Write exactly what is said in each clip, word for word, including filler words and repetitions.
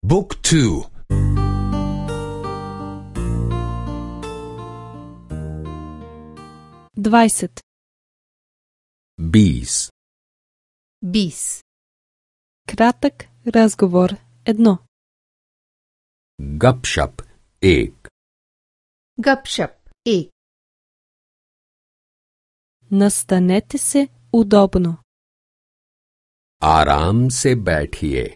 Book two. двайсет. बीस. बीस. Кратък разговор едно. गपशप एक. गपशप एक. Настанете се удобно. आराम से बैठिए.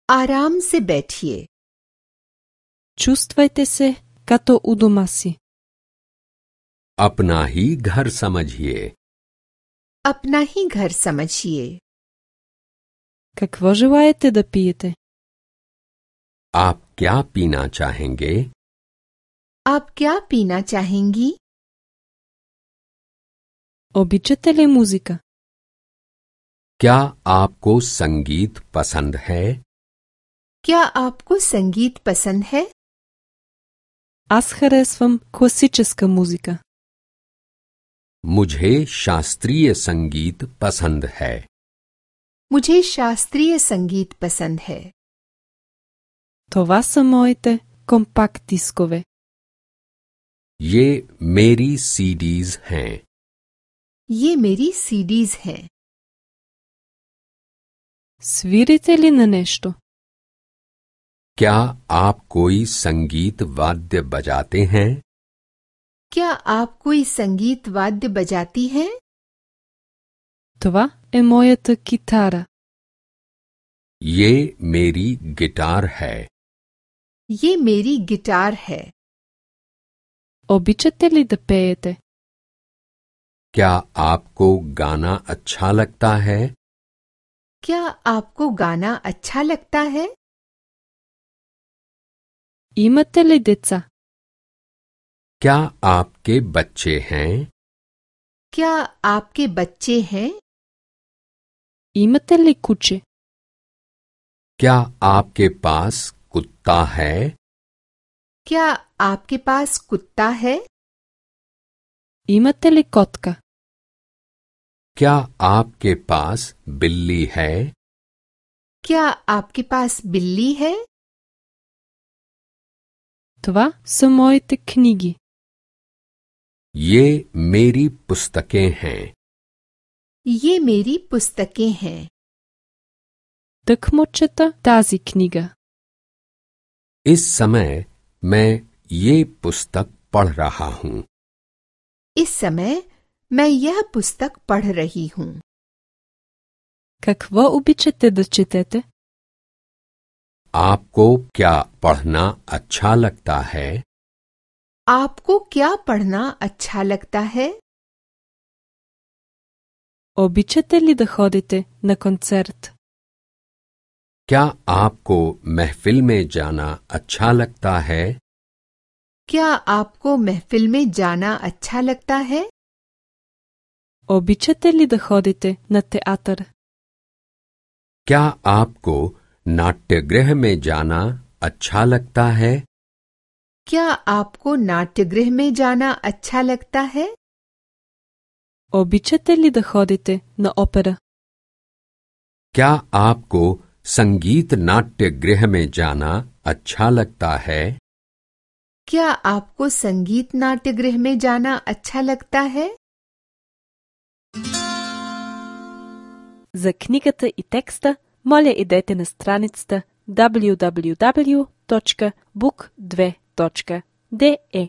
आराम से बैठिए. Чувствайте се като у дома си. अपना ही घर समझिए. अपना ही घर समझिए. Какво желаете да пиете? आप क्या पीना चाहेंगे? आप क्या पीना चाहेंगी? Обичате ли музика? क्या आपको संगीत पसंद है? क्या आपको संगीत पसंद है? Аз харесвам класическа музика. मुझे शास्त्रीय संगीत पसंद है. मुझे शास्त्रीय संगीत पसंद है. Това са моите компакт дискове. ये मेरी सीडीज हैं. ये मेरी सीडीज हैं. Свирите ли на нещо? क्या आप कोई संगीत वाद्य बजाते हैं? क्या आप कोई संगीत वाद्य बजाती हैं? Това е моята китара. ये मेरी गिटार है. ये मेरी गिटार है. Обичате ли да пеете? क्या आपको गाना अच्छा लगता है? क्या आपको गाना अच्छा लगता है? Имате ли деца? क्या आपके बच्चे हैं? क्या आपके बच्चे हैं? Имате ли куче? क्या आपके पास कुत्ता है? क्या आपके पास कुत्ता है? Имате ли котка? क्या आपके पास बिल्ली है? क्या आपके पास बिल्ली है? Това са моите книги. ये मेरी पुस्तकें हैं. ये मेरी पुस्तकें हैं. Тъкмо чета тази книга. इस समय मैं ये पुस्तक पढ़ रहा हूँ. इस समय मैं यह पुस्तक पढ़ रही हूँ. Какво обичате да четете? आपको क्या पढ़ना अच्छा लगता है? आपको क्या पढ़ना अच्छा लगता है? Обичате ли да ходите на концерт? क्या आपको महफिल में जाना अच्छा लगता है? क्या आपको महफिल में जाना अच्छा लगता है? Обичате ли да ходите на театър? क्या आपको नाट्यगृह में जाना अच्छा लगता है? क्या आपको नाट्यगृह में जाना अच्छा लगता है? Обичате ли да ходите на опера? क्या आपको संगीत नाट्यगृह में जाना अच्छा लगता है? क्या आपको संगीत नाट्यगृह में जाना अच्छा लगता है? За книгата и текста, моля идете на страницата дабъл ю дабъл ю дабъл ю точка бук две точка де е.